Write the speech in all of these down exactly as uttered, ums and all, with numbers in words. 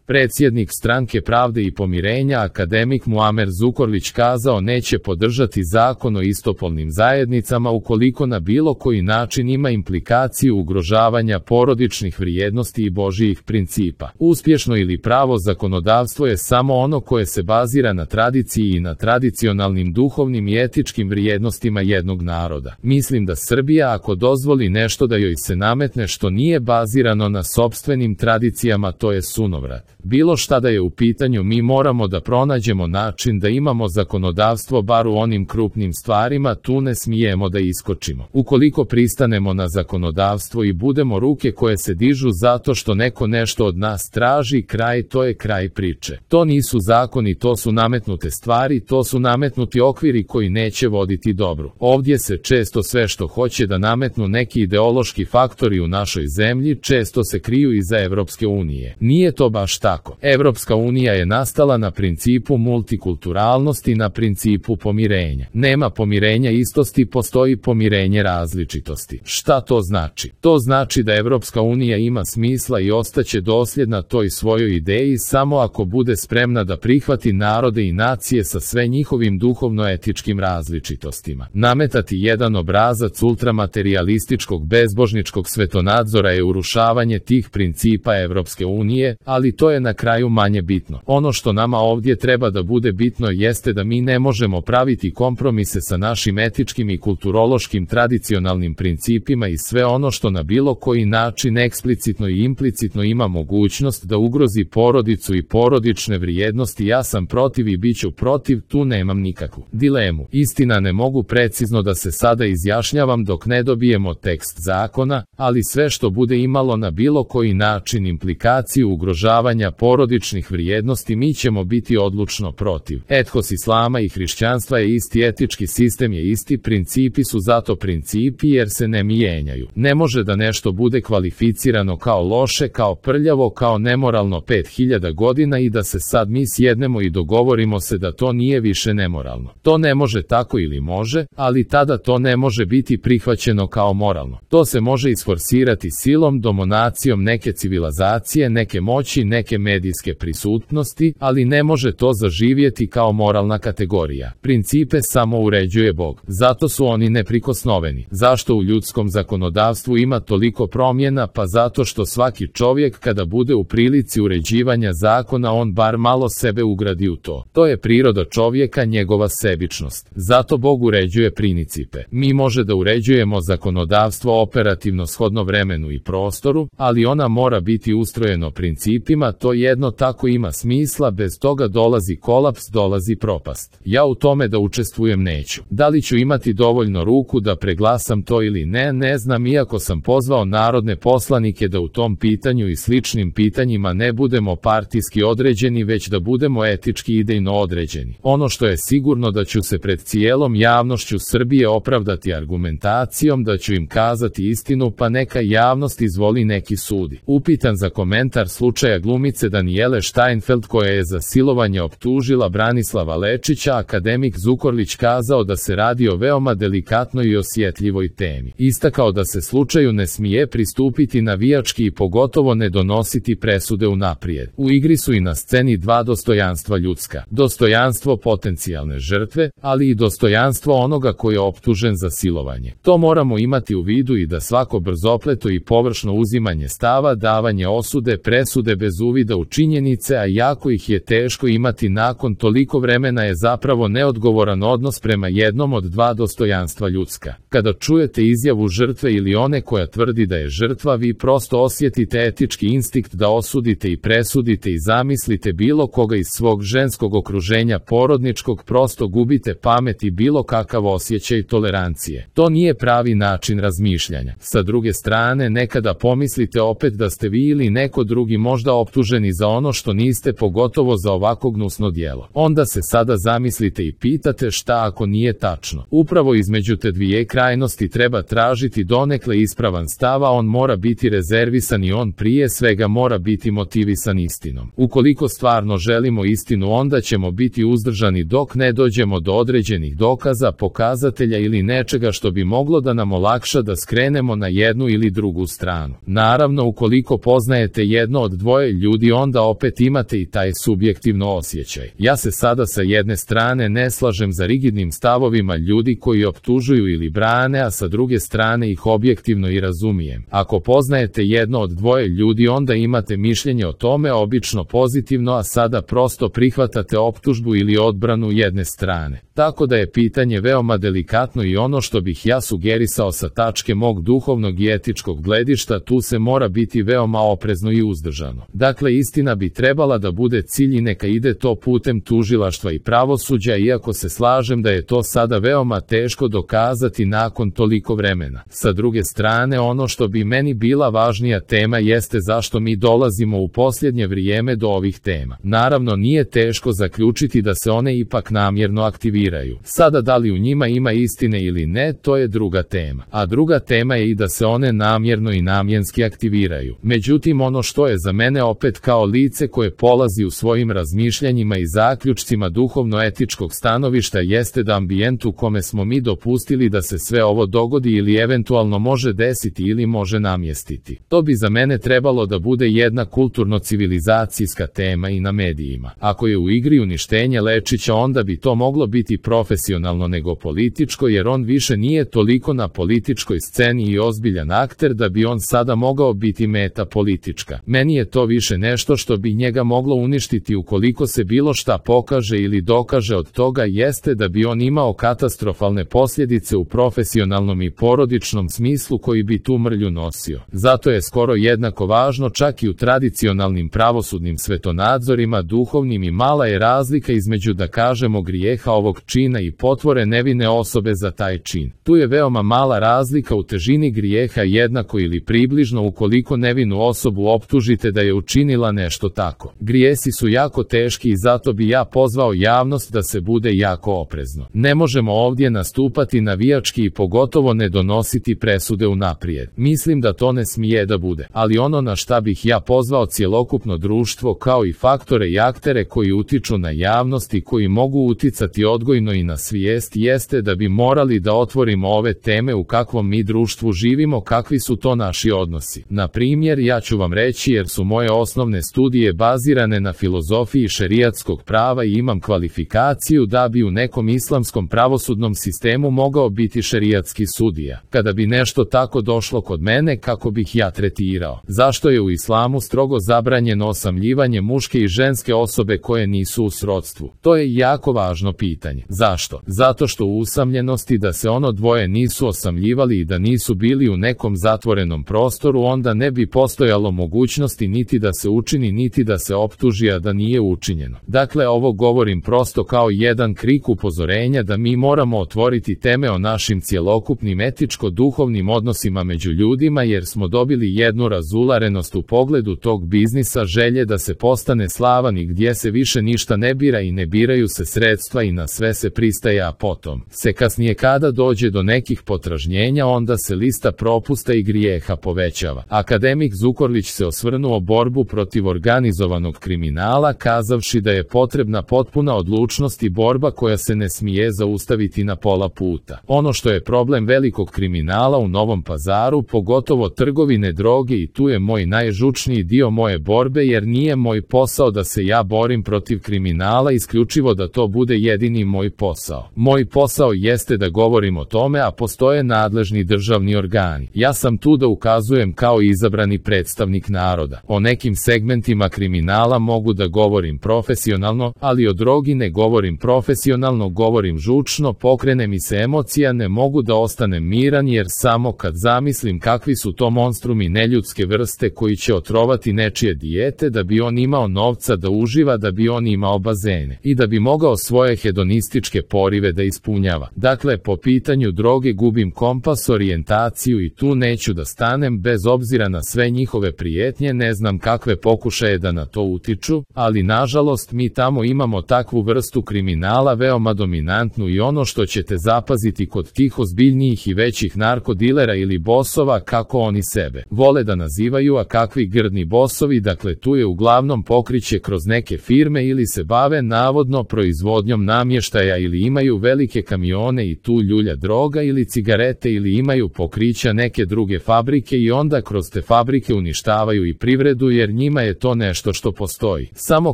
Predsjednik Stranke pravde i pomirenja akademik Muamer Zukorlić kazao neće podržati zakon o istopolnim zajednicama ukoliko na bilo koji način ima implikaciju ugrožavanja porodičnih vrijednosti i božjih principa. Uspješno ili pravo zakonodavstvo je samo ono koje se bazira na tradiciji i na tradicionalnim duhovnim i etičkim vrijednostima jednog naroda. Mislim da Srbija ako dozvoli nešto da joj se nametne što nije bazirano na sopstvenim tradicijama, to je sunovrat. Bilo šta da je u pitanju, mi moramo da pronađemo način da imamo zakonodavstvo bar u onim krupnim stvarima, tu ne smijemo da iskočimo. Ukoliko pristanemo na zakonodavstvo i budemo ruke koje se dižu zato što neko nešto od nas traži, kraj, to je kraj priče. To nisu zakoni, to su nametnute stvari, to su nametnuti okviri koji neće voditi dobru. Ovdje se često sve što hoće da nametnu neki ideološki faktori u našoj zemlji često se kriju iza Evropske unije. Nije to baš tako. Evropska unija je nastala na principu multikulturalnosti, na principu pomirenja. Nema pomirenja istosti, postoji pomirenje različitosti. Šta to znači? To znači da Evropska unija ima smisla i ostaće dosljedna toj svojoj ideji samo ako bude spremna da prihvati narode i nacije sa sve njihovim duhovno-etičkim različitostima. Nametati jedan obrazac ultramaterijalističkog bezbožničkog svetonadzora je urušavanje tih principa Evropske unije, ali to je na kraju manje bitno. Ono što nama ovdje treba da bude bitno jeste da mi ne možemo praviti kompromise sa našim etičkim i kulturološkim tradicionalnim principima i sve ono što na bilo koji način eksplicitno i implicitno ima mogućnost da ugrozi porodicu i porodične vrijednosti. Ja sam protiv i bit ću protiv, tu nemam nikakvu dilemu. Istina, ne mogu precizno da se sada izjašnjavam dok ne dobijemo tekst zakona, ali sve što bude imalo na bilo koji način implikaciju ugrožavanja porodičnih vrijednosti mi ćemo biti odlučno protiv. Ethos islama i hrišćanstva je isti, etički sistem je isti, principi su zato principi jer se ne mijenjaju. Ne može da nešto bude kvalificirano kao loše, kao prljavo, kao nemoralno pet hiljada godina i da se sad mi sjednemo i dogovorimo se da to nije više nemoralno. To ne može tako, ili može, ali tada to ne može biti prihvaćeno kao moralno. To se može isforsirati silom, dominacijom neke civilizacije, neke moći, neke medijske prisutnosti, ali ne može to zaživjeti kao moralna kategorija. Principe samo uređuje Bog. Zato su oni neprikosnoveni. Zašto u ljudskom zakonodavstvu ima toliko promjena? Pa zato što svaki čovjek kada bude u prilici uređivanja zakona on bar malo sebe ugradi u to. To je priroda čovjeka, njegova sebičnost. Zato Bog uređuje principe. Mi može da uređujemo zakonodavstvo operativno shodno vremenu i prostoru, ali ona mora biti ustrojeno principima, to jedno tako ima smisla, bez toga dolazi kolaps, dolazi propast. Ja u tome da učestvujem neću. Da li ću imati dovoljno ruku da preglasam to ili ne, ne znam, iako sam pozvao narodne poslanike da u tom pitanju i sličnim pitanjima ne budemo partijski određeni, već da budemo etički i idejno određeni. Ono što je sigurno da ću se pred cijelom javnošću Srbije opravdati argumentacijom, da ću im kazati istinu, pa neka javnost izvoli, neki sudi. Upitan za komentar slučaja glumice Danijele Steinfeld koja je za silovanje optužila Branislava Lečića, akademik Zukorlić kazao da se radi o veoma delikatnoj i osjetljivoj temi. Istakao da se slučaju ne smije pristupiti navijački i pogotovo ne donositi presude unaprijed. U igri su i na sceni dva dostojanstva ljudska. Dostojanstvo potencijalne žrtve, ali i dostojanstvo onoga koji je optužen za silovanje. To moramo imati u vidu i da svako brzopleto i površno uzimanje stava, davanje osude, presude bez uvida u činjenice, a jako ih je teško imati nakon toliko vremena, je zapravo neodgovoran odnos prema jednom od dva dostojanstva ljudska. Kada čujete izjavu žrtve ili one koja tvrdi da je žrtva, vi prosto osjetite etički instinkt da osudite i presudite i zamislite bilo koga iz svog ženskog okruženja porodničkog, prosto gubite pamet i bilo kakav osjećaj tolerancije. To nije pravi način razmišljanja. Sa druge strane, nekada pomislite opet da ste vi ili neko drugi možda optuženi za ono što niste, pogotovo za ovako gnusno djelo. Onda se sada zamislite i pitate šta ako nije tačno. Upravo između te dvije krajnosti treba tražiti donekle ispravan stav, a on mora biti rezervisan i on prije svega mora biti motivisan istinom. Ukoliko stvarno želimo istinu, onda ćemo biti uzdržani dok ne dođemo do određenih dokaza, pokazatelja ili nečega što bi moglo da nam olakša da skrenemo na jednu ili drugu stranu. Naravno, ukoliko poznajete jedno od dvoje ljudi vi onda opet imate i taj subjektivno osjećaj. Ja se sada sa jedne strane ne slažem za rigidnim stavovima ljudi koji optužuju ili brane, a sa druge strane ih objektivno i razumijem. Ako poznajete jedno od dvoje ljudi, onda imate mišljenje o tome obično pozitivno, a sada prosto prihvatate optužbu ili odbranu jedne strane. Tako da je pitanje veoma delikatno i ono što bih ja sugerisao sa tačke mog duhovnog i etičkog gledišta, tu se mora biti veoma oprezno i uzdržano. Dakle, istina bi trebala da bude cilj i neka ide to putem tužilaštva i pravosuđa, iako se slažem da je to sada veoma teško dokazati nakon toliko vremena. Sa druge strane, ono što bi meni bila važnija tema jeste zašto mi dolazimo u posljednje vrijeme do ovih tema. Naravno, nije teško zaključiti da se one ipak namjerno aktiviraju. Sada da li u njima ima istine ili ne, to je druga tema. A druga tema je i da se one namjerno i namjenski aktiviraju. Međutim, ono što je za mene opet kao lice koje polazi u svojim razmišljanjima i zaključcima duhovno-etičkog stanovišta jeste da ambijent u kome smo mi dopustili da se sve ovo dogodi ili eventualno može desiti ili može namjestiti. To bi za mene trebalo da bude jedna kulturno-civilizacijska tema i na medijima. Ako je u igri uništenje Lečića, onda bi to moglo biti profesionalno nego političko, jer on više nije toliko na političkoj sceni i ozbiljan akter da bi on sada mogao biti meta politička. Meni je to više nešto što bi njega moglo uništiti ukoliko se bilo šta pokaže ili dokaže od toga, jeste da bi on imao katastrofalne posljedice u profesionalnom i porodičnom smislu koji bi tu mrlju nosio. Zato je skoro jednako važno čak i u tradicionalnim pravosudnim svetonadzorima duhovnim i mala je razlika između, da kažemo, grijeha ovog čina i potvore nevine osobe za taj čin. Tu je veoma mala razlika u težini grijeha, jednako ili približno ukoliko nevinu osobu optužite da je učinila nešto tako. Grijesi su jako teški i zato bi ja pozvao javnost da se bude jako oprezno. Ne možemo ovdje nastupati navijački i pogotovo ne donositi presude unaprijed. Mislim da to ne smije da bude. Ali ono na šta bih ja pozvao cjelokupno društvo kao i faktore i aktere koji utiču na javnost i koji mogu uticati odgojno i na svijest jeste da bi morali da otvorimo ove teme u kakvom mi društvu živimo, kakvi su to naši odnosi. Na primjer, ja ću vam reći, jer su moje osnovne studije bazirane na filozofiji šerijatskog prava i imam kvalifikaciju da bi u nekom islamskom pravosudnom sistemu mogao biti šerijatski sudija. Kada bi nešto tako došlo kod mene, kako bih ja tretirao? Zašto je u islamu strogo zabranjeno osamljivanje muške i ženske osobe koje nisu u srodstvu? To je jako važno pitanje. Zašto? Zato što u usamljenosti da se ono dvoje nisu osamljivali i da nisu bili u nekom zatvorenom prostoru, onda ne bi postojalo mogućnosti niti da se učini niti da se optuži, a da nije učinjeno. Dakle, ovo govorim prosto kao jedan krik upozorenja da mi moramo otvoriti teme o našim cjelokupnim etičko-duhovnim odnosima među ljudima, jer smo dobili jednu razularenost u pogledu tog biznisa želje da se postane slavan i gdje se više ništa ne bira i ne biraju se sredstva i na sve se pristaje, a potom se kasnije kada dođe do nekih potražnjenja onda se lista propusta i grijeha povećava. Akademik Zukorlić se osvrnuo borbu protiv organizovanog kriminala kazavši da je potrebna potpuna odlučnost i borba koja se ne smije zaustaviti na pola puta. Ono što je problem velikog kriminala u Novom Pazaru, pogotovo trgovine droge, i tu je moj najžučniji dio moje borbe, jer nije moj posao da se ja borim protiv kriminala, isključivo da to bude jedini moj posao. Moj posao jeste da govorim o tome, a postoje nadležni državni organi. Ja sam tu da ukazujem kao izabrani predstavnik naroda. O nekim segmentima kriminala mogu da govorim profesionalno, ali o drogi ne govorim profesionalno, govorim žučno, pokrene mi se emocija, ne mogu da ostanem miran, jer samo kad zamislim kakvi su to monstrumi neljudske vrste koji će otrovati nečije dijete da bi on imao novca da uživa, da bi on imao bazene i da bi mogao svoje hedonističke porive da ispunjava. Dakle, po pitanju droge gubim kompas, orijentaciju i tu neću da stanem bez obzira na sve njihove prijetnje, ne znam kakve pokušaje da na to utiču, ali nažalost mi tamo imamo takvu vrstu kriminala veoma dominantnu i ono što ćete zapaziti kod tih ozbiljnijih i većih narkodilera ili bosova, kako oni sebe vole da nazivaju, a kakvi grdni bosovi, dakle tu je uglavnom pokriće kroz neke firme ili se bave navodno proizvodnjom namještaja namještaja ili imaju velike kamione i tu ljulja droga ili cigarete ili imaju pokrića neke druge fabrike i onda kroz te fabrike uništavaju i privredu jer njima je to nešto što postoji. Samo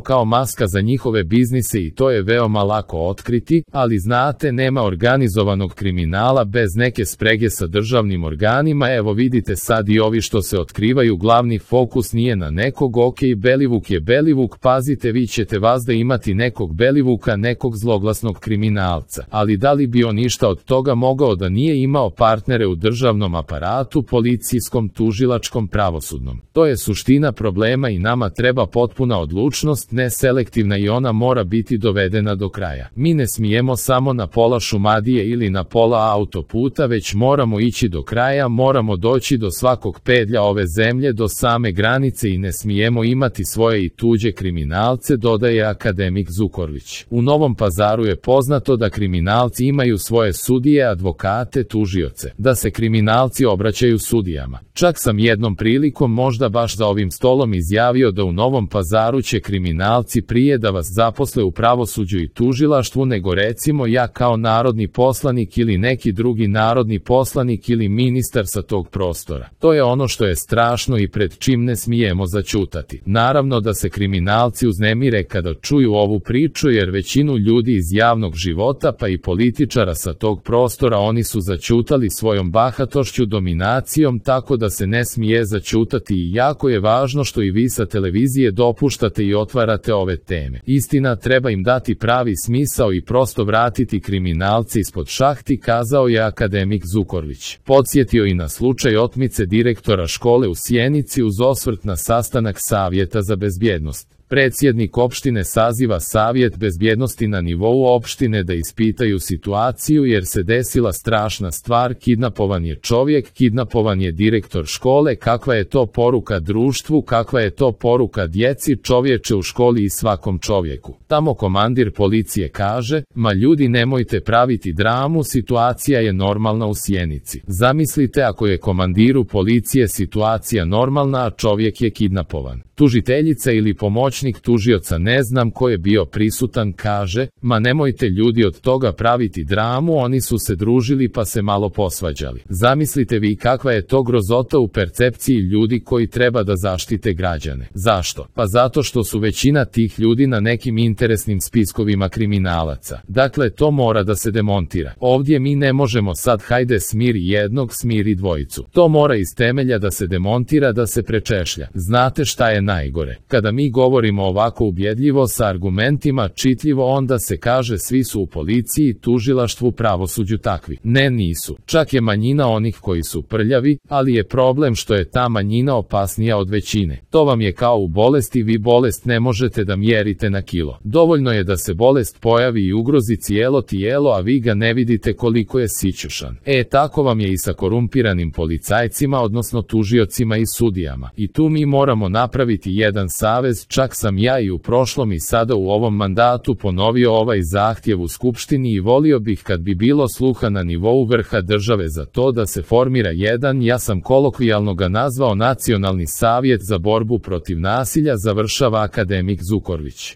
kao maska za njihove biznise i to je veoma lako otkriti, ali znate nema organizovanog kriminala bez neke sprege sa državnim organima. Evo vidite sad i ovi što se otkrivaju, glavni fokus nije na nekog, ok, Belivuk je Belivuk, pazite vi ćete vazda imati nekog Belivuka, nekog zloglasnog kriminalca, ali da li bi on ništa od toga mogao da nije imao partnere u državnom aparatu, policijskom, tužilačkom, pravosudnom? To je suština problema i nama treba potpuna odlučnost, ne selektivna, i ona mora biti dovedena do kraja. Mi ne smijemo samo na pola Šumadije ili na pola autoputa, već moramo ići do kraja, moramo doći do svakog pedlja ove zemlje, do same granice i ne smijemo imati svoje i tuđe kriminalce, dodaje akademik Zukorlić. U Novom Pazaru je poznato da kriminalci imaju svoje sudije, advokate, tužioce, da se kriminalci obraćaju sudijama. Čak sam jednom prilikom, možda baš za ovim stolom, izjavio da u Novom Pazaru će kriminalci prije da vas zaposle u pravosuđu i tužilaštvu nego recimo ja kao narodni poslanik ili neki drugi narodni poslanik ili ministar sa tog prostora. To je ono što je strašno i pred čim ne smijemo zaćutati. Naravno da se kriminalci uznemire kada čuju ovu priču jer većinu ljudi iz javnog života pa i političara sa tog prostora oni su zaćutali svojom bahatošću, dominacijom, tako da se ne smije zaćutati i jako je važno što i vi sa televizije dopuštate i otvarate ove teme. Istina, treba im dati pravi smisao i prosto vratiti kriminalce ispod šahti, kazao je akademik Zukorlić. Podsjetio i na slučaj otmice direktora škole u Sjenici uz osvrt na sastanak Savjeta za bezbjednost. Predsjednik opštine saziva savjet bezbjednosti na nivou opštine da ispitaju situaciju jer se desila strašna stvar, kidnapovan je čovjek, kidnapovan je direktor škole, kakva je to poruka društvu, kakva je to poruka djeci, čovječe u školi i svakom čovjeku. Tamo komandir policije kaže, ma ljudi nemojte praviti dramu, situacija je normalna u Sjenici. Zamislite ako je komandiru policije situacija normalna, a čovjek je kidnapovan. Tužiteljica ili pomoćnik tužioca, ne znam ko je bio prisutan, kaže, ma nemojte ljudi od toga praviti dramu, oni su se družili pa se malo posvađali. Zamislite vi kakva je to grozota u percepciji ljudi koji treba da zaštite građane. Zašto? Pa zato što su većina tih ljudi na nekim interesnim spiskovima kriminalaca. Dakle, to mora da se demontira. Ovdje mi ne možemo sad hajde smiri jednog, smiri dvojicu. To mora iz temelja da se demontira, da se prečešlja. Znate šta je najgore? Kada mi govorimo ovako ubjedljivo sa argumentima, čitljivo, onda se kaže svi su u policiji, tužilaštvu, pravosuđu takvi. Ne, nisu. Čak je manjina onih koji su prljavi, ali je problem što je ta manjina opasnija od većine. To vam je kao u bolesti, vi bolest ne možete da mjerite na kilo. Dovoljno je da se bolest pojavi i ugrozi cijelo tijelo, a vi ga ne vidite koliko je sićušan. E, tako vam je i sa korumpiranim policajcima, odnosno tužiocima i sudijama. I tu mi moramo napraviti jedan savez. Čak sam ja i u prošlom i sada u ovom mandatu ponovio ovaj zahtjev u Skupštini i volio bih kad bi bilo sluha na nivou vrha države za to da se formira jedan, ja sam kolokvijalno ga nazvao Nacionalni savjet za borbu protiv nasilja, završava akademik Zukorlić.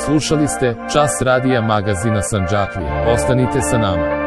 Slušali ste Čas radija magazina Sandžaklija. Ostanite sa nama.